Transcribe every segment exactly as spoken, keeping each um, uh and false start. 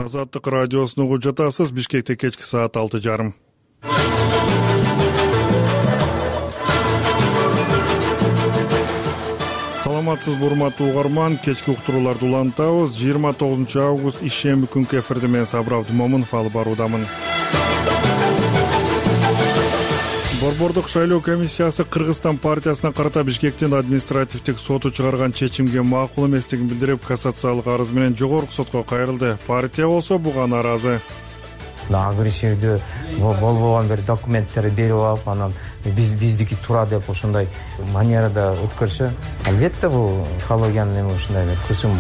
Азаттык радиосун угуп жатасыз. Бишкекте кечки саат алты жарым. Саламатсызбы урматтуу угарман, кечки уктурууларды улантабыз. жыйырма тогузунчу август ишемби күнкү эфирде мен Сабыр Абдымомунов алып баруудамын. Борбордук шайлоо комиссиясы Кыргызстан партиясына карата Бишкектин административдик соту чыгарган чечимге макул эместигин билдирип, кассациялык арыз менен жогорку сотко кайрылды. Партия болсо буга нааразы. Агрессивдүү болбогон бир документтерди берип алып, анан биз биздики туура деп ошондой манерада өткөрсө, албетте бул психологиянын эми ушундай бир кысым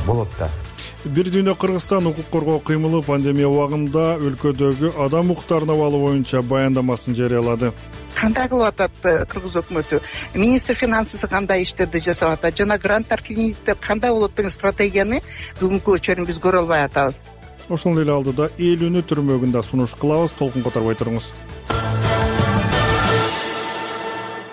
болот да. Бир дүйнө Кыргызстан укук коргоо кыймылы пандемия убагында өлкөдөгү адам укуктарынын абалы боюнча баяндамасын жарыялады. Кандай кылып атат Кыргыз өкмөтү? Министр финансысы кандай иштерди жасап атат? Жана гранттар кеңейтип кандай болот деген стратегияны бүгүнкү чейин биз көрө албай атабыз. Ошол эле алдыда эл үнү түрмөгүндө сунуш кылабыз. Толкун которбой туруңуз.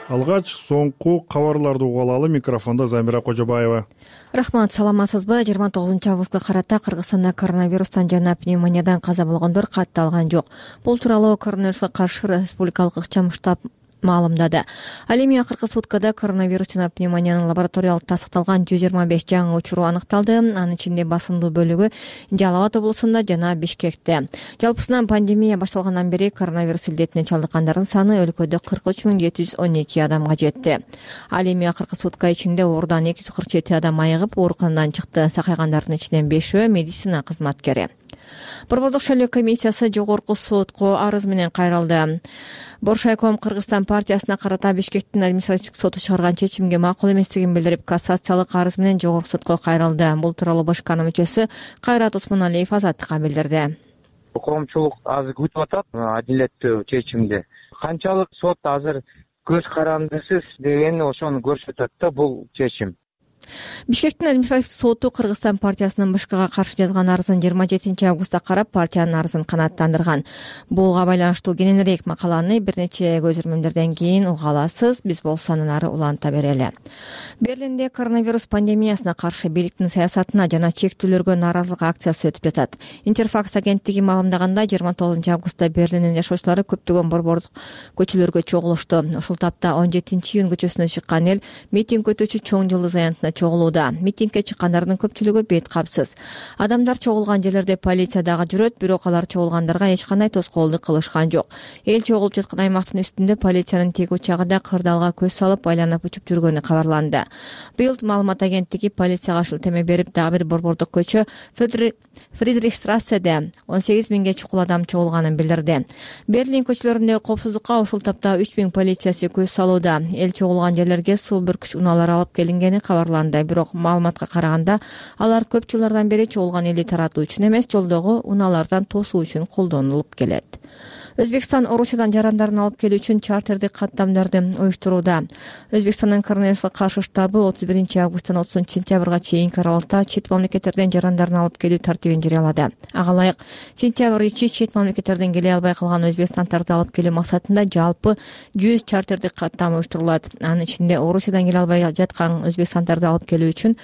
Алгач соңку кабарларды угуп алалы. Микрофондо Замира Кожобаева. Рахмат, саламатсызбы? жыйырма тогузунчу августка карата Кыргызстанда коронавирустан жана пневмониядан каза болгондор катталган жок. Бул тууралуу коронавируска каршы республикалык ыкчам штаб маалымдады. Ал эми акыркы суткада коронавирус жана пневмониянын лабораториялык тастыкталган жүз жыйырма беш жаңы учуру аныкталды. Анын ичинде басымдуу бөлүгү Жалал Абад облусунда жана Бишкекте. Жалпысынан пандемия башталгандан бери коронавирус илдетине чалдыккандардын саны өлкөдө кырк үч миң жети жүз он эки адамга жетти. Ал эми акыркы сутка ичинде оорудан эки жүз кырк жети адам айыгып, ооруканадан чыкты. Сакайгандардын ичинен бешөө медицина кызматкери. Борбордук шайлоо комиссиясы жогорку сотко арыз менен кайрылды. Боршайком Кыргызстан партиясына карата Бишкектин административдик соту чыгарган чечимге макул эместигин билдирип, кассациялык арыз менен жогорку сотко кайрылды. Бул тууралуу БШКнын мүчөсү Кайрат Осмоналиев Азаттыкка билдирди. Коомчулук азыр күтүп атат адилеттүү чечимди. Канчалык сот азыр көз карандысыз деген ошону көрсөтөт да бул чечим. Бишкектин административдик соту Кыргызстан партиясынын БШКга каршы жазган арызын жыйырма жетинчи августта карап, партиянын арызын канааттандырган. Буга байланыштуу кененирээк макаланы бир нече көзөрмөмдөрдөн кийин уга аласыз. Биз болсо андан ары уланта берели. Берлинде коронавирус пандемиясына каршы бийликтин саясатына жана чектүүлөргө нааразылык акциясы өтүп жатат. Интерфакс агенттиги маалымдагандай, жыйырма тогузунчу августта Берлиндин жашоочулары көптөгөн борбордук көчөлөргө чогулушту. Ушул тапта он жетинчи июнь көчөсүнө чыккан эл митинг өтүүчү чоң жылдыз аянтына чогулууда. Митингге чыккандардын көпчүлүгү бет капсыз. Адамдар чогулган жерлерде полиция дагы жүрөт, бирок алар чогулгандарга эч кандай тоскоолдук кылышкан жок. Эл чогулуп жаткан аймактын үстүндө полициянын тег учагында кырдаалга көз салып айланып учуп жүргөнү кабарланды. Билд маалымат агенттиги полицияга шылтеме берип, дагы бир борбордук көчө Фридрихстрасседе он сегиз миңге чукул адам чогулганын билдирди. Берлин көчөлөрүндөгү коопсуздукка ушул тапта үч миң полициячы көз салууда. Эл чогулган жерлерге суу бүркүч унаалар алып келингени кабарланды. Бирок маалыматка караганда, алар көп жылдардан бери чогулган элди таратуу үчүн эмес, жолдогу унаалардан тосуу үчүн колдонулуп келет. Өзбекстан Орусиядан жарандарын алып келүү үчүн чартердик каттамдарды уюштурууда. Өзбекстандын коронавируска каршы штабы отуз биринчи августтан отузунчу сентябрга чейинки аралыкта чет мамлекеттерден жарандарын алып келүү тартибин жарыялады. Ага ылайык сентябрь ичи чет мамлекеттерден келе албай калган өзбекстандарды алып келүү максатында жалпы жүз чартердик каттам уюштурулат. Анын ичинде Орусиядан келе албай жаткан өзбекстандарды алып келүү үчүн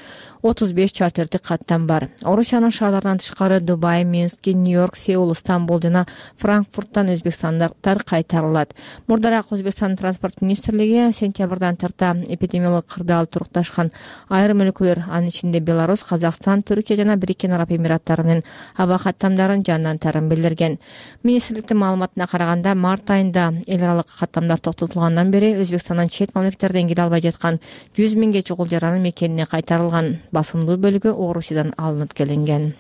отуз беш чартердик каттам бар. Орусиянын шаарларынан тышкары Дубай, Минск, Нью-Йорк, Сеул, Стамбул жана Франкфурттан өзбекстандыктар кайтарылат. Мурдараак Өзбекстандын транспорт министрлиги сентябрдан тарта эпидемиологик кырдаал турукташкан айрым өлкөлөр, анын ичинде Беларусь, Казакстан, Түркия жана Бириккен Араб Эмираттары менен аба каттамдарын жандантарын билдирген. Министрликтин маалыматына караганда, март айында эл аралык каттамдар токтотулгандан бери Өзбекстандан чет мамлекеттерден келе албай жаткан жүз миңге чукул жаран мекенине кайтарылган. Басымдуу бөлүгү Орусиядан алынып келинген.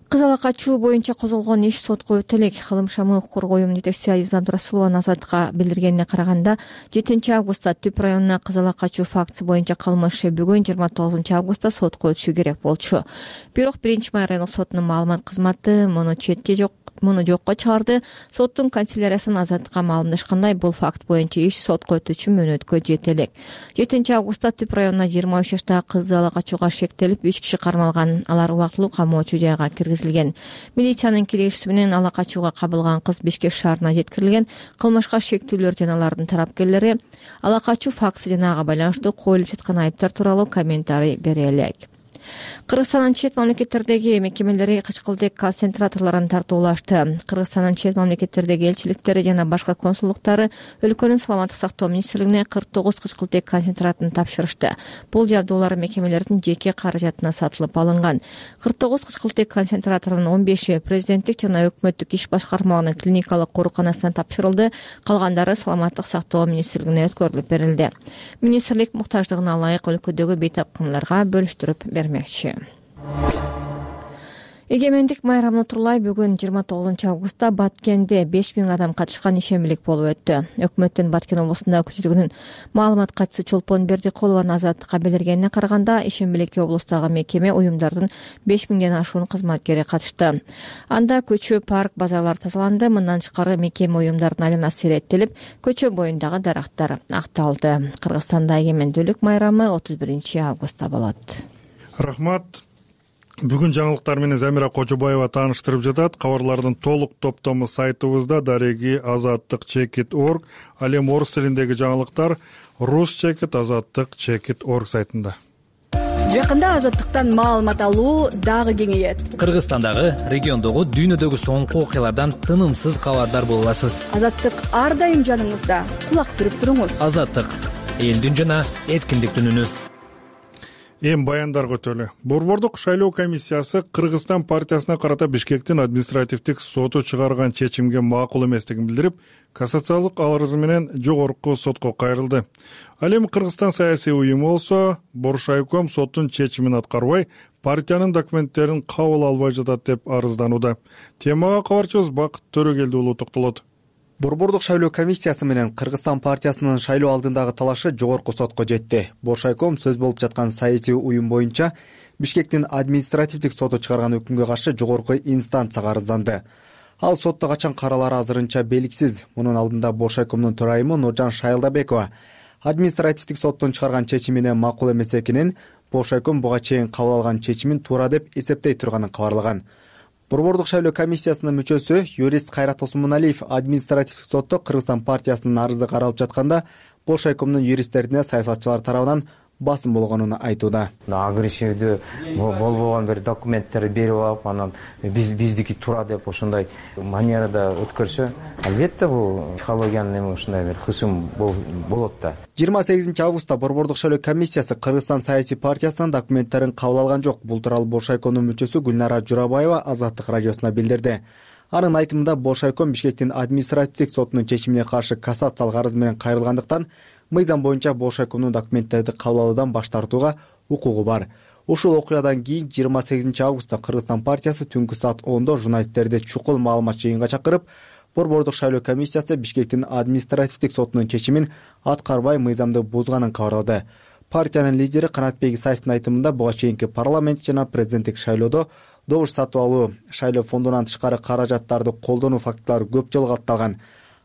Кыз ала качуу боюнча козголгон иш сотко өтөлөк. Кылым шамы укук коргоо уюмунун жетекчиси Азиза Абдурасулова Азаттыкка билдиргенине караганда, жетинчи августта Түп районуна кыз ала качуу фактысы боюнча кылмыш иши бүгүн жыйырма тогузунчу августта сотко өтүшү керек болчу. Бирок биринчи май райондук сотунун маалымат кызматы муну четке жок муну жокко чыгарды. Соттун канцеляриясынан Азаттыкка маалымдашкандай, бул факт боюнча иш сотко өтүүчү мөөнөткө жете элек. жетинчи августта Түп районуна жыйырма үч жаштагы кызды ала качууга шектелип үч киши кармалган. Алар убактылуу камоочу жайга киргизилген. Милициянын киргизиши менен ала качууга кабылган кыз Бишкек шаарына жеткирилген. Кылмышка шектүүлөр жана алардын тараптуулары ала качуу фактысы жана ага байланыштуу коюлуп жаткан айыптар тууралуу комментарий бере элек. Кыргызстандын чет мамлекеттердеги мекемелери кычкылдык концентраторлорун тартуулашты. Кыргызстандын чет мамлекеттердеги элчиликтери жана башка консулдуктары өлкөнүн саламаттык сактоо министрлигине кырк тогуз кычкылтык концентратын тапшырышты. Бул жабдуулар мекемелердин жеке каражатына сатылып алынган. кырк тогуз кычкылтык концентратордун он беши президенттик жана өкмөттүк иш башкармалыгынын клиникалык ооруканасына тапшырылды. Калгандары саламаттык сактоо министрлигине өткөрүлүп берилди. Министрлик муктаждыгына ылайык өлкөдөгү бейтапканларга бөлүштүрүп бермекчи. Эгемендик майрамын турлай бүгүн жыйырма тогузунчу августта Баткенде беш миң адам катышкан ишембилик болуп өттү. Өкмөттүн Баткен облусунда өкүлчүлүгүнүн маалымат катчысы Чолпон Бердикулованын азаттыкка билдиргенине караганда, ишембиликке облустагы мекеме уюмдардын беш миңден ашуун кызматкери катышты. Анда көчө, парк, базарлар тазаланды. Мындан тышкары мекеме уюмдардын айланасы иреттелип, көчө боюндагы дарактар акталды. Кыргызстанда эгемендүүлүк майрамы отуз биринчи августта болот. Рахмат. Бүгүн жаңылыктар менен Замира Кожобаева тааныштырып жатат. Кабарлардын толук топтому сайтыбызда дареги азаттык чекит орг, ал эми орус тилиндеги жаңылыктар рус чекит азаттык чекит орг сайтында. Жакында азаттыктан маалымат алуу дагы кеңейет. Кыргызстандагы, региондогу, дүйнөдөгү соңку окуялардан тынымсыз кабардар боло аласыз. Азаттык ар дайым жаныңызда. Кулак түрүп туруңуз. Азаттык элдин жана эркиндиктин үнү. Эми баяндар көтөлү. Борбордук шайлоо комиссиясы Кыргызстан партиясына карата Бишкектин административдик соту чыгарган чечимге макул эместигин билдирип, кассациялык арызы менен жогорку сотко кайрылды. Ал эми Кыргызстан саясий уюму болсо, Боршайком соттун чечимин аткарбай, партиянын документтерин кабыл албай жатат деп арызданууда. Темага кабарчыбыз Бакыт Төрөгелди уулу токтолот. Борбордук шайлоо комиссиясы менен Кыргызстан партиясынын шайлоо алдындагы талашы жогорку сотко жетти. Боршайком сөз болуп жаткан саясий уюм боюнча Бишкектин административдик соту чыгарган өкүмгө каршы жогорку инстанцияга арызданды. Ал сотто качан каралары азырынча белгисиз. Мунун алдында Боршайкомдун төрайымы Нуржан Шайылдабекова административдик соттун чыгарган чечимине макул эмес экенин, Боршайком буга чейин кабыл алган чечимин туура деп эсептей турганын кабарлаган. Борбордук шайлоо комиссиясынын мүчөсү юрист Кайрат Осмоналиев административдик сотто Кыргызстан партиясынын арызы каралып жатканда Боршайкомдун юристтерине саясатчылар тарабынан басым болгонун айтууда. Агрессивдүү болбогон бир документтер берип алып, анан биз биздики туура деп ошондой манерада өткөрсө, албетте бул психологиянын эми ушундай бир кысым болот да. жыйырма сегизинчи августта Борбордук шайлоо комиссиясы Кыргызстан саясий партиясынын документтерин кабыл алган жок. Бул тууралуу Боршайкомдун мүчөсү Гүлнара Журабаева Азаттык радиосуна билдирди. Анын айтымында Боршайком Бишкектин административдик сотунун чечимине каршы кассациялык арыз менен кайрылгандыктан мыйзам боюнча Боршайкомдун документтерди кабыл алуудан баш тартууга укугу бар. Ушул окуядан кийин жыйырма сегизинчи августта Кыргызстан партиясы түнкү саат ондо журналисттерди чукул маалымат жыйынга чакырып, Борбордук шайлоо комиссиясы Бишкектин административдик сотунун чечимин аткарбай мыйзамды бузганын кабарлады. Партиянын лидери Канатбек Исаевдин айтымында буга чейинки парламент жана президенттик шайлоодо добуш сатып алуу, шайлоо фондунан тышкары каражаттарды колдонуу фактылары көп жолу катталган.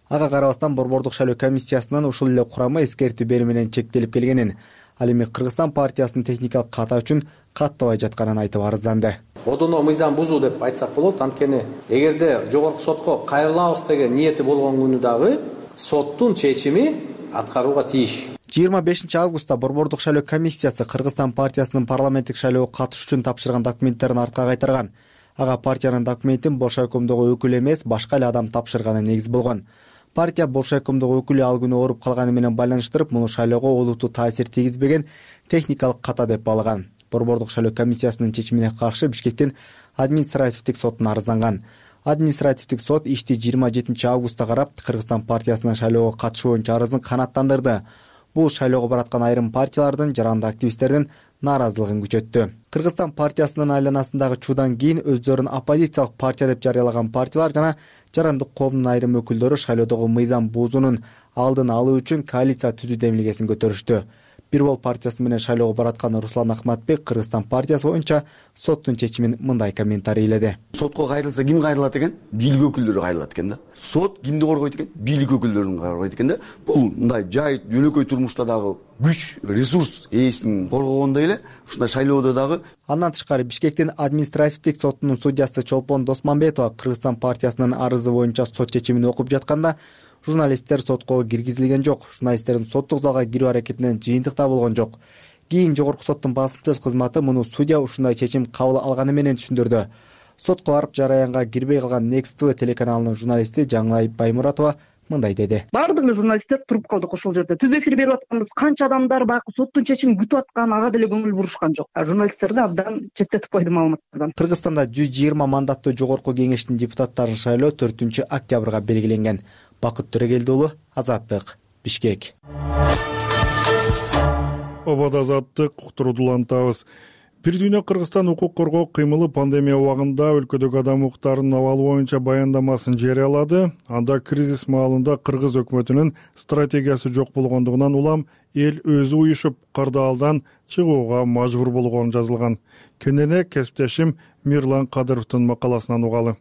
Ага карабастан Борбордук шайлоо комиссиясынын ушул эле курамы эскертүү берүү менен чектелип келгенин, ал эми Кыргызстан партиясынын техникалык ката үчүн каттабай жатканын айтып арызданды. Одоно мыйзам бузуу деп айтсак болот, анткени эгерде жогорку сотко кайрылабыз деген ниети болгон күнү дагы соттун чечими аткарууга тийиш. жыйырма бешинчи августта Борбордук шайлоо комиссиясы Кыргызстан партиясынын парламенттик шайлоого катышуу үчүн тапшырган документтерин артка кайтарган. Ага партиянын документин Боршайкомдогу өкүл эмес, башка эле адам тапшырганы негиз болгон. Партия Боршайкомдогу өкүлү ал күнү ооруп калганы менен байланыштырып, муну шайлоого олуттуу таасир тийгизбеген техникалык ката деп баалаган. Борбордук шайлоо комиссиясынын чечимине каршы Бишкектин административдик сотуна арызданган. Административдик сот ишти жыйырма жетинчи августта карап, Кыргызстан партиясынын шайлоого катышуу боюнча арызын канааттандырды. Бул шайлоого бараткан айрым партиялардын, жаранды активисттердин нааразылыгын күчөттү. Кыргызстан партиясынын айланасындагы чуудан кийин өздөрүн оппозициялык партия деп жарыялаган партиялар жана жарандык коомдун айрым өкүлдөрү шайлоодогу мыйзам бузуунун алдын алуу үчүн коалиция түзүү демилгесин көтөрүштү. Бир бол партиясы менен шайлоого бараткан Руслан Ахматбек Кыргызстан партиясы боюнча соттун чечимин мындай комментарийледи. Сотко кайрылса ким кайрылат экен? Бийлик өкүлдөрү кайрылат экен да. Сот кимди коргойт экен? Бийлик өкүлдөрүн коргойт экен да. Бул мындай жай жөнөкөй турмушта дагы күч, ресурс ээсин коргогондой эле ушундай шайлоодо дагы. Андан тышкары Бишкектин административдик сотунун судьясы Чолпон Досмамбетова Кыргызстан партиясынын арызы боюнча сот чечимин окуп жатканда журналисттер сотко киргизилген жок. Журналисттердин соттук залга кирүү аракетинен жыйынтыкта болгон жок. Кийин жогорку соттун басымсыз кызматы муну судья ушундай чечим кабыл алганы менен түшүндүрдү. Сотко барып жараянга кирбей калган Next ти ви телеканалынын журналисти Жаңылайып Баймуратова мындай деди. Баардык эле журналисттер туруп калдык ошол жерде. Түз эфир берип атканбыз. Канча адамдар баягы соттун чечимин күтүп аткан, ага деле көңүл бурушкан жок. Журналисттерди абдан четтетип койду маалыматтардан. Кыргызстанда жүз жыйырма мандаттуу жогорку кеңештин депутаттарын шайлоо төртүнчү октябрга белгиленген. Бакыт Төрөгелди уулу, Азаттык, Бишкек. Обод Азаттык уктурууду улантабыз. Бир дүйнө Кыргызстан укук коргоо кыймылы пандемия убагында өлкөдөгү адам укуктарынын абалы боюнча баяндамасын жарыялады. Анда кризис маалында Кыргыз өкмөтүнүн стратегиясы жок болгондугунан улам эл өзү уюшуп кырдаалдан чыгууга мажбур болгону жазылган. Кенене кесиптешим Мирлан Кадыровдун макаласынан угалы.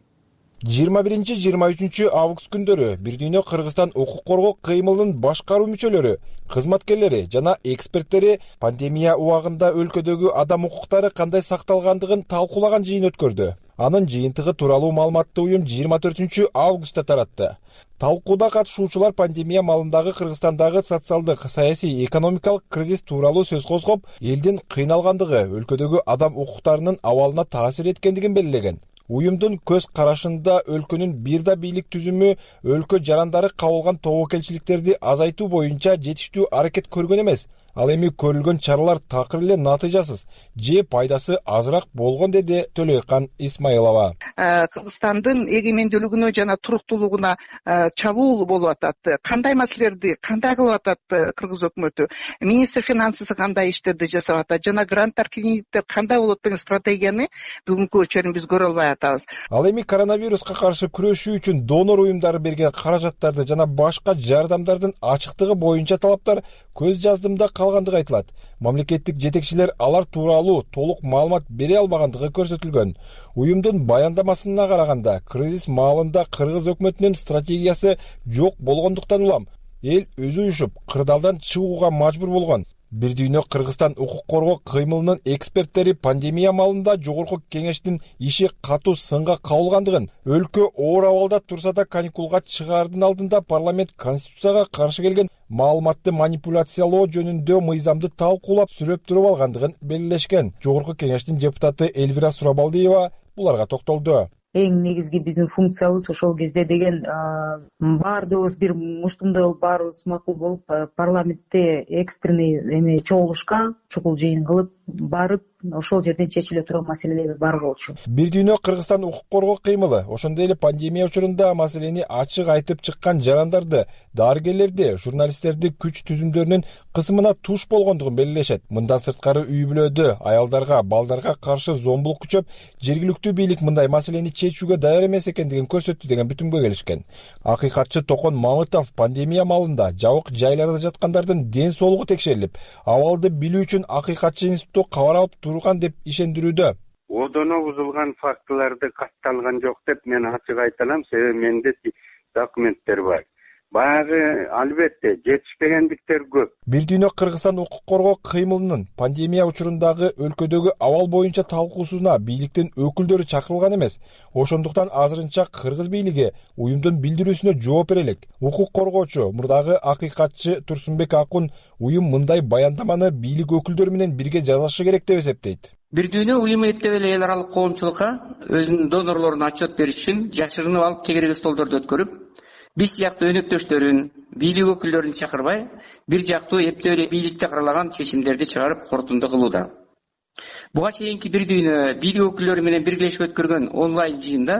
жыйырма биринчи жыйырма үчүнчү август күндөрү Бир дүйнө Кыргызстан укук коргоо кыймылынын башкаруу мүчөлөрү, кызматкерлери жана эксперттери пандемия убагында өлкөдөгү адам укуктары кандай сакталгандыгын талкуулаган жыйын өткөрдү. Анын жыйынтыгы тууралуу маалыматты уюм жыйырма төртүнчү августта таратты. Талкууда катышуучулар пандемия маалындагы Кыргызстандагы социалдык, саясий, экономикалык кризис тууралуу сөз козгоп, элдин кыйналгандыгы өлкөдөгү адам укуктарынын абалына таасир эткендигин белгилеген. Уюмдун көз карашында өлкөнүн бир да бийлик түзүмү өлкө жарандары кабылган тобокелчиликтерди азайтуу боюнча жетиштүү аракет көргөн эмес. Ал эми көрүлгөн чаралар такыр эле натыйжасыз же пайдасы азыраак болгон, деди Төлөйкан Исмаилова. Кыргызстандын эгемендүүлүгүнө жана туруктуулугуна чабуул болуп атат. Кандай маселелерди кандай кылып атат Кыргыз өкмөтү? Министр финансысы кандай иштерди жасап атат? Жана гранттар кредиттер кандай болот деген стратегияны бүгүнкү өчөрүн биз көрө албай атабыз. Ал эми коронавируска каршы күрөшүү үчүн донор уюмдары берген каражаттарды жана башка жардамдардын ачыктыгы боюнча талаптар көз жаздымда калгандыгы айтылат. Мамлекеттик жетекчилер алар тууралуу толук маалымат бере албагандыгы көрсөтүлгөн. Уюмдун баяндамасына караганда, кризис маалында Кыргыз өкмөтүнүн стратегиясы жок болгондуктан улам эл өзү уюшуп кырдаалдан чыгууга мажбур болгон. Бир дүйнө Кыргызстан укук коргоо кыймылынын эксперттери пандемия маалында жогорку кеңештин иши катуу сынга кабылгандыгын, өлкө оор абалда турса да каникулга чыгаардын алдында парламент конституцияга каршы келген маалыматты манипуляциялоо жөнүндө мыйзамды талкуулап сүрөп туруп алгандыгын белгилешкен. Жогорку кеңештин депутаты Элвира Сурабалдиева буларга токтолду. Эң негизги биздин функциябыз ошол кезде деген баардыгыбыз бир муштумдай болуп, баарыбыз макул болуп, парламентте экстренный эме чогулушка, чукул жыйын кылып барып, ошол жерден чечиле турган маселелерди бар болчу. Бир дүйнө Кыргызстан укук коргоо кыймылы ошондой эле пандемия учурунда маселени ачык айтып чыккан жарандарды, дарыгерлерди, журналисттерди күч түзүмдөрүнүн кысымына туш болгондугун белгилешет. Мындан сырткары үй бүлөдө аялдарга, балдарга каршы зомбулук күчөп, жергиликтүү бийлик мындай маселени чечүүгө даяр эмес экендигин көрсөттү деген бүтүмгө келишкен. Акыйкатчы Токон Мамытов пандемия маалында жабык жайларда жаткандардын ден соолугу текшерилип, абалды билүү үчүн акыйкатчы институтту кабар алып турган деп ишендирүүдө. Одоно бузулган фактыларды катталган жок деп мен ачык айта алам, себеби менде документтер бар. Баягы албетте жетишпегендиктер көп. Бир дүйнө Кыргызстан укук коргоо кыймылынын пандемия учурундагы өлкөдөгү абал боюнча талкуусуна бийликтин өкүлдөрү чакырылган эмес. Ошондуктан азырынча Кыргыз бийлиги уюмдун билдирүүсүнө жооп берелик. Укук коргоочу, мурдагы акыйкатчы Турсунбек Акун уюм мындай баяндаманы бийлик өкүлдөрү менен бирге жазышы керек деп эсептейт. Бир дүйнө уюм эптеп эле эл аралык коомчулукка өзүнүн донорлоруна отчет бериш үчүн жашырынып алып тегереги столдорду өткөрүп, биз сыяктуу өнөктөштөрүн, бийлик өкүлдөрүн чакырбай, бир жактуу эптеп эле бийликте каралаган чечимдерди чыгарып корутунду кылууда. Буга чейинки бир дүйнө бийлик өкүлдөрү менен биргелешип өткөргөн онлайн жыйында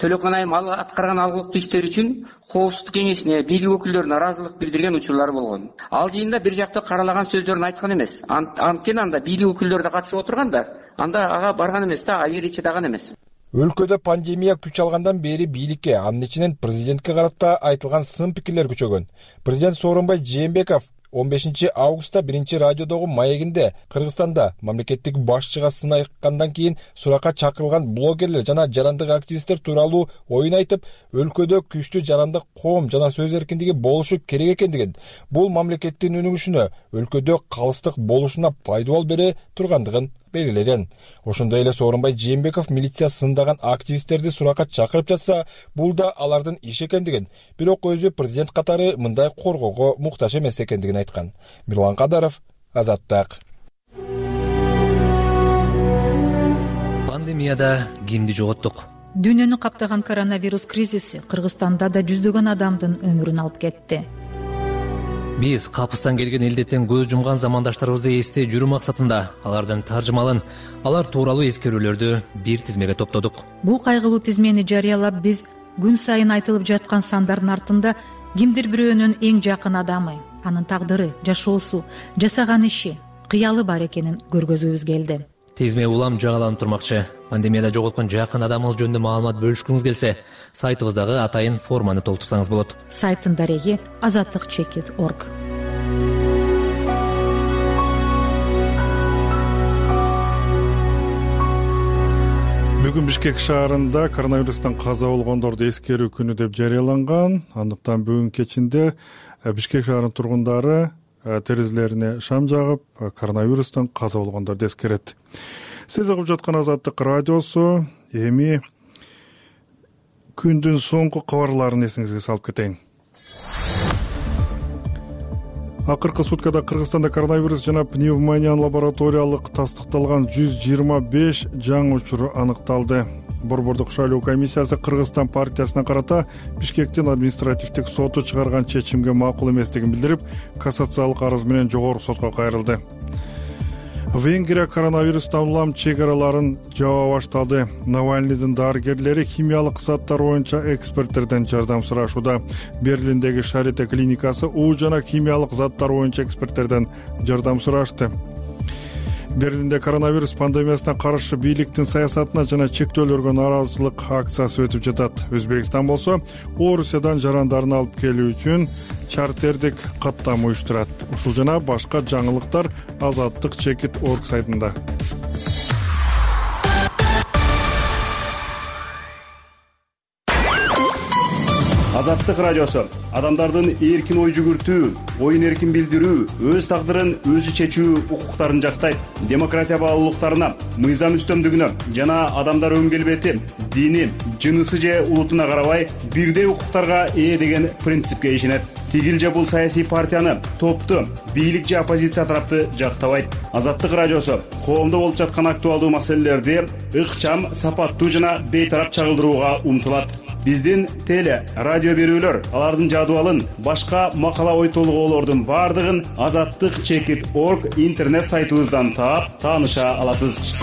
Төлөкөн Айым аткарган алгылыктуу иштер үчүн Коопсуздук кеңешине бийлик өкүлдөрүнүн ыраазылык билдирген учурлар болгон. Ал жыйында бир жактуу каралаган сөздөрүн айткан эмес. Анткени анда бийлик өкүлдөрү да катышып отурган да, анда ага барган эмес да, абийири чыдаган эмес. Өлкөдө пандемия күч алгандан бери бийликке, анын ичинен президентке карата айтылган сын пикирлер күчөгөн. Президент Сооронбай Жээнбеков он бешинчи августта биринчи радиодогу маегинде Кыргызстанда мамлекеттик башчыга сын айткандан кийин суракка чакырылган блогерлер жана жарандык активисттер тууралуу оюн айтып, өлкөдө күчтүү жарандык коом жана сөз эркиндиги болушу керек экендигин, бул мамлекеттин өнүгүшүнө, өлкөдө калыстык болушуна пайдабол бере тургандыгын белгилеген. Ошондой эле Сооронбай Жээнбеков милиция сындаган активисттерди суракка чакырып жатса, бул да алардын иши экендигин, бирок өзү президент катары мындай коргоого муктаж эмес экендигин айткан. Мирлан Кадаров, Азаттык. пандемияда кимди жоготтук? Дүйнөнү каптаган коронавирус кризиси Кыргызстанда да жүздөгөн адамдын өмүрүн алып кетти. Биз капыстан келген илдеттен көз жумган замандаштарыбызды эстей жүрүү максатында алардын таржымалын, алар тууралуу эскерүүлөрдү бир тизмеге топтодук. Бул кайгылуу тизмени жарыялап биз күн сайын айтылып жаткан сандардын артында кимдир бирөөнүн эң жакын адамы, анын тагдыры, жашоосу, жасаган иши, кыялы бар экенин көргөзүүбүз келди. Тизме улам жаңыланып турмакчы. Пандемияда жоготкон жакын адамыңыз жөнүндө маалымат бөлүшкүңүз келсе, сайтыбыздагы атайын форманы толтурсаңыз болот. Сайттын дареги азаттык чекит точка орг. Бүгүн Бишкек шаарында коронавирустан каза болгондорду эскерүү күнү деп жарыяланган. Андыктан бүгүн кечинде Бишкек шаарынын тургундары терезелерине шам жагып, коронавирустан каза болгондорду эскерет. Сиз угуп жаткан Азаттык радиосу. Эми күндүн соңку кабарларын эсиңизге салып кетейин. Акыркы суткада Кыргызстанда коронавирус жана пневмониянын лабораториялык тастыкталган жүз жыйырма беш жаңы учуру аныкталды. Борбордук шайлоо комиссиясы Кыргызстан партиясына карата Бишкектин административдик соту чыгарган чечимге макул эместигин билдирип, кассациялык арыз менен жогорку сотко кайрылды. Венгрия коронавирустан улам чек араларын жаба башталды. Навальныйдын дарыгерлери химиялык заттар боюнча эксперттерден жардам сурашууда. Берлиндеги Шарите клиникасы уу жана химиялык заттар боюнча эксперттерден жардам сурашты. Берлинде коронавирус пандемиясына каршы бийликтин саясатына жана чектөөлөргө нааразычылык акциясы өтүп жатат. Өзбекстан болсо Орусиядан жарандарын алып келүү үчүн чартердик каттам уюштурат. Ушул жана башка жаңылыктар азаттык чекит точка орг сайтында. Азаттык радиосу адамдардын эркин ой жүгүртүү, оюн эркин билдирүү, өз тагдырын өзү чечүү укуктарын жактайт. Демократия баалуулуктарына, мыйзам үстөмдүгүнө жана адамдар өң келбети, дини, жынысы же улутуна карабай бирдей укуктарга ээ деген принципке ишенет. Тигил же бул саясий партияны, топту, бийлик же оппозиция тарапты жактабайт. Азаттык радиосу коомдо болуп жаткан актуалдуу маселелерди ыкчам, сапаттуу жана бейтарап чагылдырууга умтулат. Биздин теле, радио берүүлөр, алардын жадыбалын, башка макала ой толгоолордун бардыгын азаттык чекит точка орг интернет сайтыбыздан таап, тааныша аласыз.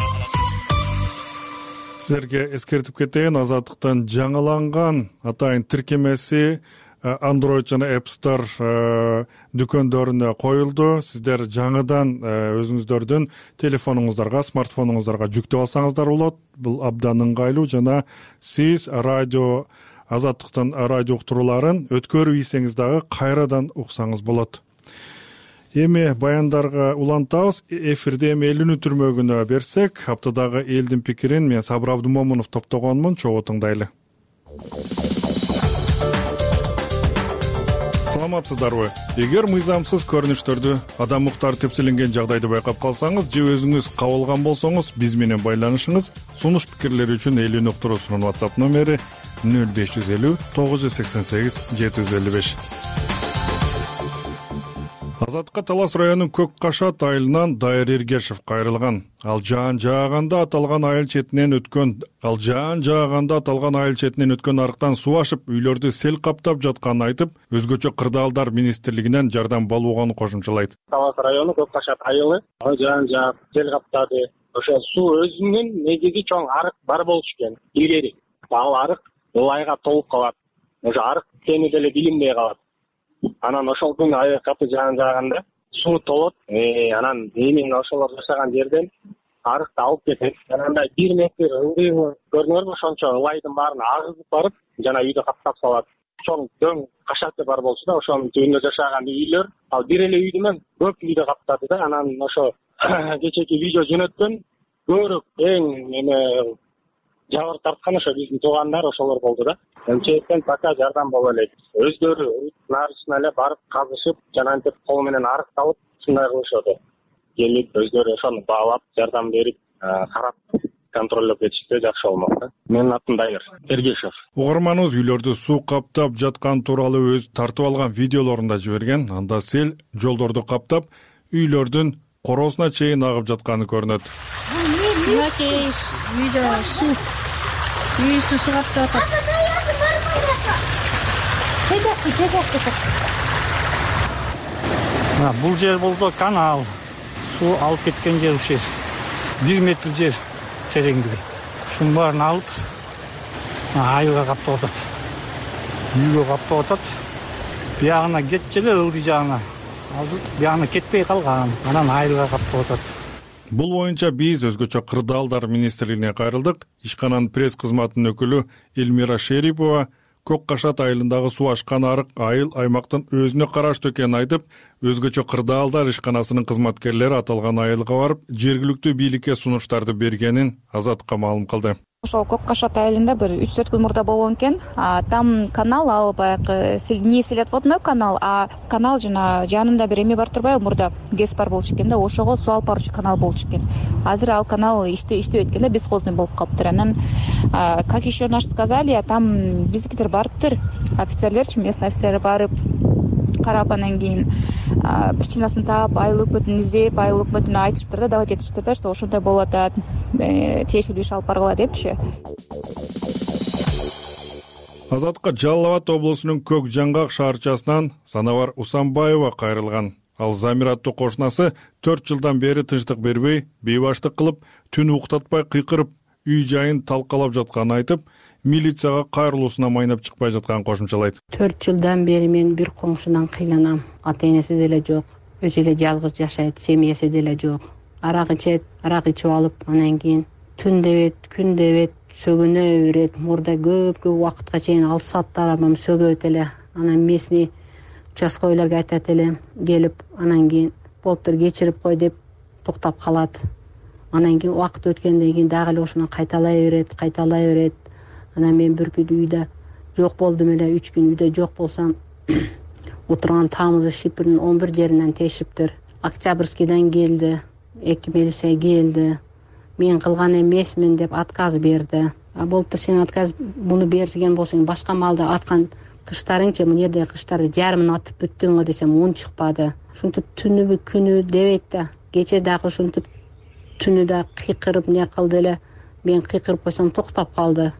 Силерге эскертип кетейин, Азаттыктан жаңыланган атайын тиркемеси Android жана App Store дүкөндөрүнө коюлду. Сиздер жаңыдан өзүңүздөрдүн телефонуңуздарга, смартфонуңуздарга жүктөп алсаңыздар болот. Бул абдан ыңгайлуу жана сиз радио Азаттыктын радио уктурууларын өткөрүп ийсеңиз дагы кайрадан уксаңыз болот. Эми баяндарга улантабыз. Эфирде эми элүүнү түрмөгүнө берсек, аптадагы элдин пикирин мен Сабыр Абдумомунов топтогонмун. Чогуу тыңдайлы. Саламатсыздарбы? Эгер мыйзамсыз көрүнүштөрдү, адам укуктары тепселенген жагдайды байкап калсаңыз же өзүңүз кабылган болсоңуз, биз менен байланышыңыз. Сунуш пикирлери үчүн элүүнү уктуруусунун WhatsApp номери нөл беш жүз элүү тогуз жүз сексен сегиз жети жүз элүү беш. Азаттыкка Талас районунун Көк Кашат айылынан Дайыр Эргешев кайрылган. Ал жаан жааганда аталган айыл четинен өткөн, ал жаан жааганда аталган айыл четинен өткөн арыктан суу ашып, үйлөрдү сел каптап жатканын айтып, өзгөчө кырдаалдар министрлигинен жардам болгонун кошумчалайт. Талас району Көк Кашат айылы жаан жаап сел каптады. Ошо суу өзүнүн негизи чоң арык бар болчу экен. Илгери ал арык ылайга толуп калат. Ошо арык сени деле билинбей калат. Анан ошол күнү аябай катуу жаан жааганда суу толот. Анан эмин ошолор жашаган жерден арыкты алып кетет. Анан бир метр ылдыйы көрүнөрбү, ошончо ылайдын баарын агызып барып, жана үйдү каптап салат. Чоң дөң кашаты бар болчу да, ошонун түбүндө жашаган үйлөр, ал бир эле үйдү менен көп үйдү каптады да. Анан ошо кечеки видео жөнөткөн көрүп эң эме жабыр тарткан ошо биздин туугандар ошолор болду да. Эмчектен пока жардам боло элек. Өздөрү нарысына эле барып казышып, жана антип кол менен арык алып, ушундай кылышат. Келип өздөрү ошону баалап, жардам берип, карап, контролдоп кетишсе жакшы болмок да. Менин атым Дайыр Эргешев. Угарманыбыз үйлөрдү суу каптап жаткан тууралуу өз тартып алган видеолорун да жиберген. Анда сел жолдорду каптап, үйлөрдүн короосуна чейин агып жатканы көрүнөт. мынакей үйдө суу үй суусу каптап атат. Бул жер болду канал. Суу алып кеткен жер ушул. бир метр жер тереңдиги. Ушунун баарын алып айылга каптап атат. Үйгө каптап атат. Биягына кетчү эле ылдый жагына. Азыр биягына кетпей калган. Анан айылга каптап атат. Бул боюнча биз өзгөчө кырдаалдар министрлигине кайрылдык. Ишкананын пресс кызматынын өкүлү Элмира Шерипова Көк Кашат айылындагы суу ашкан арык айыл аймактын өзүнө караштуу экенин айтып, өзгөчө кырдаалдар ишканасынын кызматкерлери аталган айылга барып, жергиликтүү бийликке сунуштарды бергенин Азатка маалым кылды. Ошол Көк Кашат айылында бир үч төрт күн мурда болгон экен. Там канал, ал баягы не селятводной канал, а канал жана жанында бир эме бар турбайбы, мурда гэс бар болчу экен да, ошого суу алып баруучу канал болчу экен. Азыр ал канал иштеп эткенде бесхозный болуп калыптыр. Анан как еще наш сказали, там биздикилер барыптыр, офицерлерчи, местный офицерлер барып карап, анан кийин причинасын таап, айыл өкмөтүн издеп, айыл өкмөтүнө айтышыптыр да, давать этиштир да, что ошондой болуп атат, тиешелүү иш алып баргыла депчи. Азатка Жалал Абад облусунун Көк Жаңгак шаарчасынан Санавар Усанбаева кайрылган. Ал Замир аттуу кошунасы төрт жылдан бери тынчтык бербей, бейбаштык кылып, түн уктатпай кыйкырып, үй жайын талкалап жатканын айтып, милицияга кайрылуусуна майнап чыкпай жатканын кошумчалайт. төрт жылдан бери мен бир коңшудан кыйланам. Ата-энеси деле жок, өзү эле жалгыз жашайт, семьясы деле жок. Арак ичет, арак ичип алып, анан кийин түн дебет, күн дебет, сөгүнө берет. Мурда көп-көп убакытка чейин алты сааттар амам сөгөт эле. Анан местный участковыйларга айтат эле, келип, анан кийин болуптур кечирип кой деп токтоп калат. Анан кийин убакыт өткөндөн кийин дагы эле ошону кайталай берет, кайталай берет. Анан мен бир күн үйдө жок болдум эле, үч күн үйдө жок болсом, отурган тамызы Шипирдин он бир жеринен тешиптир. Октябрьскийден келди, эки милиция келди. Мен кылган эмесмин деп отказ берди. А болуптур, сен отказ буну берген болсоң, башка малда аткан кыштарыңчы, мына жерде кыштарды жарымын атып бүттүң го десем, он чыкпады. Ушинтип түнүбү күнү дебейт да, кече дагы ушинтип түнү да кыйкырып не кылды эле. Мен кыйкырып койсом токтоп калды.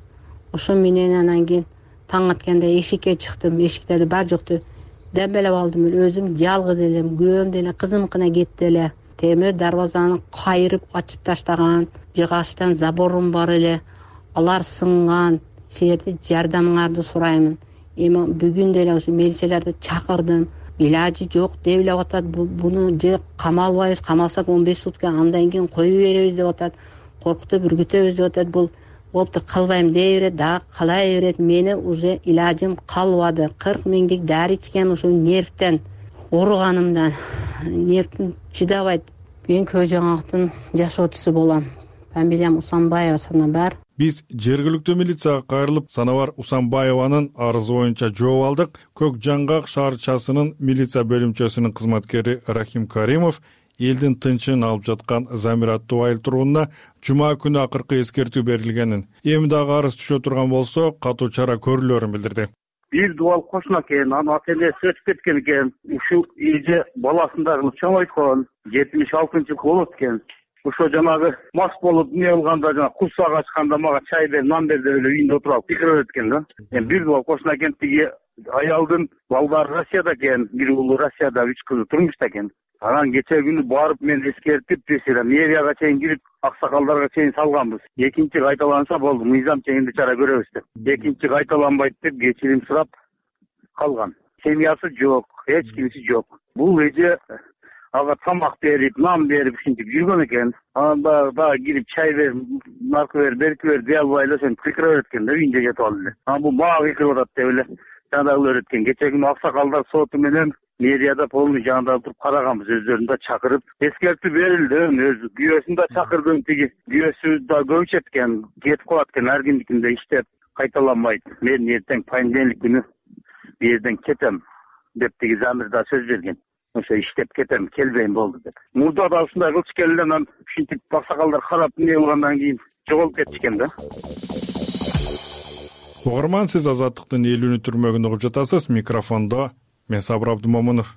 Ошо менен анан кийин таң атканда эшикке чыктым, эшиктерди бар жокту дембелеп алдым эле, өзүм жалгыз элем, күйөөм деле кызымкына кетти эле. Темир дарбазаны кайрып ачып таштаган, жыгачтан заборум бар эле, алар сынган. Силерди жардамыңарды сураймын. Эми бүгүн деле ушу милицияларды чакырдым, илажы жок деп эле атат. Буну же камалбайбыз, камалсак он беш сутка, андан кийин коюп беребиз деп атат. Коркутуп үргүтөбүз деп атат. Бул болуптур, кылбайм дей берет, дагы кылай берет. Мени уже илажым калбады. кырк миңдик дары ичкен, ушул нервтен, ооруганымдан. Нервим чыдабайт. Мен Көк Жаңгактын жашоочусу болом. Фамилиям Усанбаева Санабар. Биз жергиликтүү милицияга кайрылып, Санавар Усанбаеванын арызы боюнча жооп алдык. Көк Жаңгак шаарчасынын милиция бөлүмчөсүнүн кызматкери Рахим Каримов элдин тынчын алып жаткан Замир аттуу айыл тургунуна жума күнү акыркы эскертүү берилгенин, эми дагы арыз түшө турган болсо катуу чара көрүлөрүн билдирди. Бир дубал кошуна экен, анын ата-энеси өтүп кеткен экен. Ушул эже баласын дагы чоңойткон, жетимиш алтынчы жылкы болот экен. Ошо жанагы мас болуп эмне кылганда, жана курсак ачканда мага чай бер, нан бер деп эле үйүндө отуруп алып кыйкырып экен да. Эми бир дубал кошуна экен, тиги аялдын балдары Россияда экен, бир уулу Россияда, үч кызы турмушта экен. Анан кече күнү барып мен эскертип, мэрияга чейин кирип, аксакалдарга чейин салганбыз. Экинчи кайталанса болду, мыйзам чегинде чара көрөбүз деп. Экинчи кайталанбайт деп кечирим сурап калган. Семьясы жок, эч кимиси жок. Бул эже ага тамак берип, нан берип ушинтип жүргөн экен. Анан дагы кирип чай бер, наркы бер, берки бер дей албай эле сен кыйкырып берет экен да, үйүндө жатып алып эле. Анан бул мага кыйкырып атат деп эле жанагылар өткөн. Кече күнү аксакалдар соту менен мэрияда полный жанында туруп караганбыз, өздөрүн да чакырып эскертүү берилди. Өзү күйөөсүн да чакырдым, тиги күйөөсү да көбүчөт экен, кетип калат экен, ар кимдикинде иштеп кайталанбайт. Мен эртең понедельник күнү бу жерден кетем деп тиги Замир да сөз берген. Ошо иштеп кетем, келбейм болду деп. Мурда да ушундай кылчу экен эле, анан ушинтип аксакалдар карап эмне кылгандан кийин жоголуп кетишкен да. Угарман, сиз Азаттыктын элүүнү түрмөгүн угуп жатасыз. Микрофондо мен Сабыр Абдумомунов.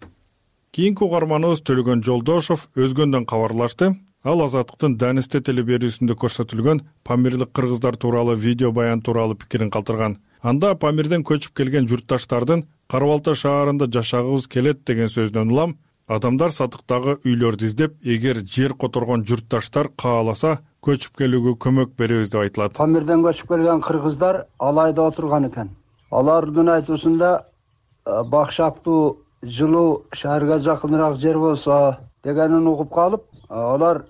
Кийинки угарманыбыз Төлөгөн Жолдошов өзгөндөн кабарлашты. Ал Азаттыктын Данисте телеберүүсүндө көрсөтүлгөн памирлик кыргыздар тууралуу видео баян тууралуу пикирин калтырган. Анда Памирден көчүп келген журтташтардын Кара Балта шаарында жашагыбыз келет деген сөзүнөн улам адамдар сатыктагы үйлөрдү издеп, эгер жер которгон журтташтар кааласа көчүп келүүгө көмөк беребиз деп айтылат. Памирден көчүп келген кыргыздар Алайда отурган экен. Алардын айтуусунда бакшактуу жылуу шаарга жакыныраак жер болсо дегенин угуп калып, алар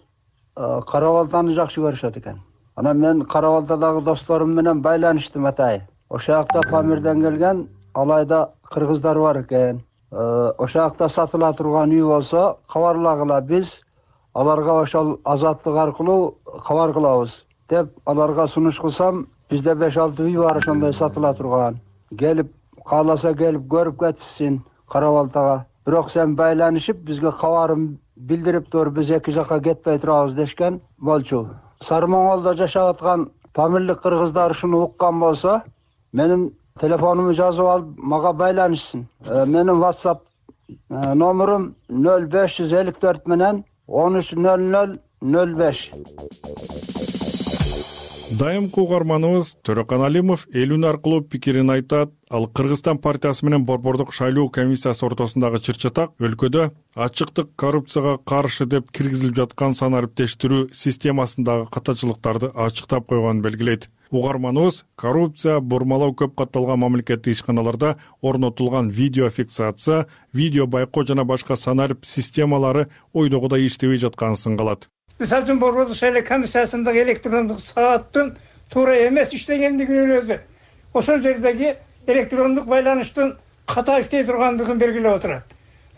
Кара Балтаны жакшы көрүшөт экен. Анан мен Кара Балтадагы досторум менен байланыштым атайын. Ошол жакта Памирден келген Алайда кыргыздар бар экен. Ошол жакта сатыла турган үй болсо кабарлагыла, биз аларга ошол Азаттык аркылуу кабар кылабыз деп аларга сунуш кылсам, бизде беш алты үй бар ошондой сатыла турган. Келип кааласа келип көрүп кетсин Кара Балтага. Бирок сен байланышып бизге кабарын билдирип тур, биз эки жакка кетпей турабыз дешкен болчу. Сары Моңголдо жашап аткан памирлик кыргыздар ушуну уккан болсо, менин телефонумду жазып алып мага байланышсын. Менин WhatsApp номерум нөл беш жүз элүү төрт менен он үч нөл нөл нөл беш. Дайымкы угарманыбыз Төрөкан Алимов элүүн аркылуу пикирин айтат. Ал Кыргызстан партиясы менен Борбордук шайлоо комиссиясы ортосундагы чыр-чатак өлкөдө ачыктык, коррупцияга каршы деп киргизилип жаткан санариптештирүү системасындагы катачылыктарды ачыктап койгонун белгилейт. Угарманыбыз коррупция, бурмалоо көп катталган мамлекеттик ишканаларда орнотулган видео фиксация, видео байкоо жана башка санарип системалары ойдогудай иштебей жатканын сынгалат. Мисалы үчүн Борбордук шайлоо комиссиясындагы электрондук сааттын туура эмес иштегендигинин өзү ошол жердеги электрондук байланыштын ката иштей тургандыгын белгилеп отурат.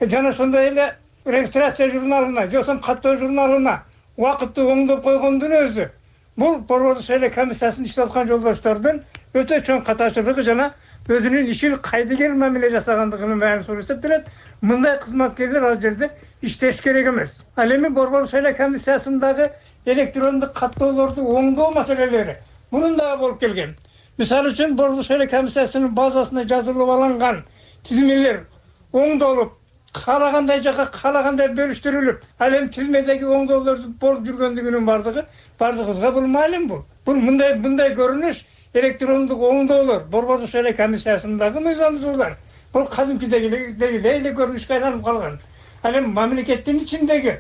Жана ошондой эле регистрация журналына, же болбосо каттоо журналына убакытты оңдоп койгондун өзү бул Борбордук шайлоо комиссиясында иштеп аткан жолдоштордун өтө чоң катачылыгы жана өзүнүн ишин кайдыгер мамиле жасагандыгынын баарын көрсөтүп берет. Мындай кызматкерлер ал жерде иштеш керек эмес. Ал эми Борбордук шайлоо комиссиясындагы электрондук каттоолорду оңдоо маселелери мунун дагы болуп келген. Мисалы үчүн Борбордук шайлоо комиссиясынын базасына жазылып алынган тизмелер оңдолуп, каалагандай жакка каалагандай бөлүштүрүлүп, ал эми тизмедеги оңдоолорду болуп жүргөндүгүнүн бардыгы бардыгыбызга бул маалим бул. Бул мындай мындай көрүнүш электрондук оңдоолор Борбордук шайлоо комиссиясындагы мыйзамдуулар бул кадимкидеги эле көрүнүшкө айланып калган. Ал эми мамлекеттин ичиндеги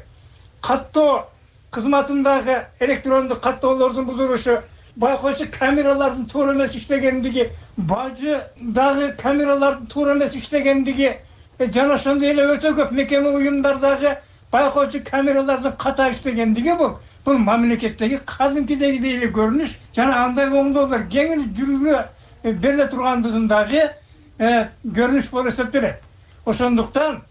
каттоо кызматындагы электрондук каттоолордун бузулушу, байкоочу камералардын туура эмес иштегендиги, бажыдагы камералардын туура эмес иштегендиги жана ошондой эле өтө көп мекеме уюмдардагы байкоочу камералардын ката иштегендиги бул бул мамлекеттеги кадимкидеги эле көрүнүш жана андай оңдоолор кеңири жүрүүгө бериле тургандыгындагы көрүнүш болуп эсептелет. Ошондуктан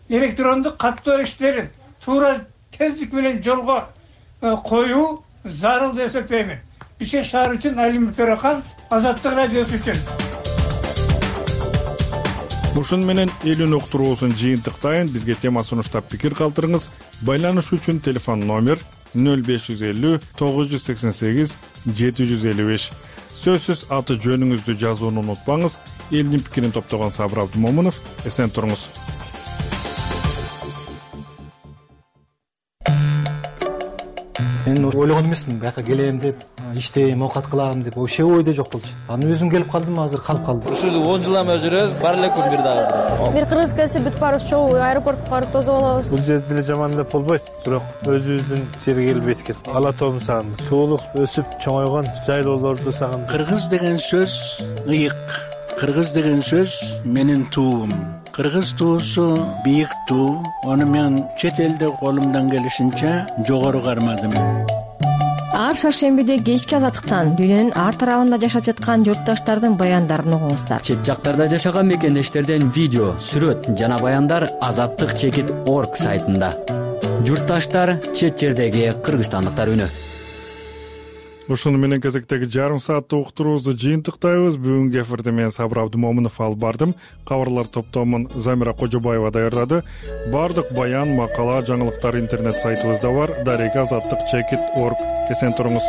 электрондук каттоо иштерин туура тездик менен жолго коюу зарыл деп эсептеймин. Бишкек шаары үчүн Алимов Төрөкан, Азаттык радиосу үчүн. Ушун менен элүүн уктуруусун жыйынтыктайын. Бизге тема сунуштап пикир калтырыңыз. Байланыш үчүн телефон номер нөл беш жүз элүү тогуз жүз сексен сегиз жети жүз элүү беш. Сөзсүз аты жөнүңүздү жазууну унутпаңыз. Элдин пикирин топтогон Сабыр Абдымомунов. Эсен туруңуз. Мен ойлогон эмесмин, бияка келем деп, иштейм, оокат кылам деп, вообще ойдо жок болчу. Анан өзүм келип калдым, азыр калып калдым. Ушул он жыл эме жүрөбүз, бар эле күн бир дагы. Бир кыргыз келсе бүт баарыбыз чогуу аэропортко барып тосуп алабыз. Бул жерде деле жаман деп болбойт, бирок өзүбүздүн жерге келип жеткен. Ала тоом сагындык, туулук өсүп чоңойгон жайлоолорду сагындык. Кыргыз деген сөз ыйык. Кыргыз деген сөз менин туум. Кыргыз туусу бийик туу. Аны мен чет элде колумдан келишинче жогору кармадым. Ар шаршембиде кечки Азаттыктан дүйнөнүн ар тарабында жашап жаткан журтташтардын баяндарын угуңуздар. Чет жактарда жашаган мекендештерден видео, сүрөт жана баяндар азаттык чекит орг сайтында. Журтташтар чет жердеги кыргызстандыктар үнү. Ушуну менен кезектеги жарым сааттык уктуруубузду жыйынтыктайбыз. Бүгүнкү эфирде мен Сабыр Абдымомунов алып бардым. Кабарлар топтомун Замира Кожобаева даярдады. Бардык баян, макала, жаңылыктар интернет сайтыбызда бар. Дарега азаттык чекит орг. Эсен туруңуз.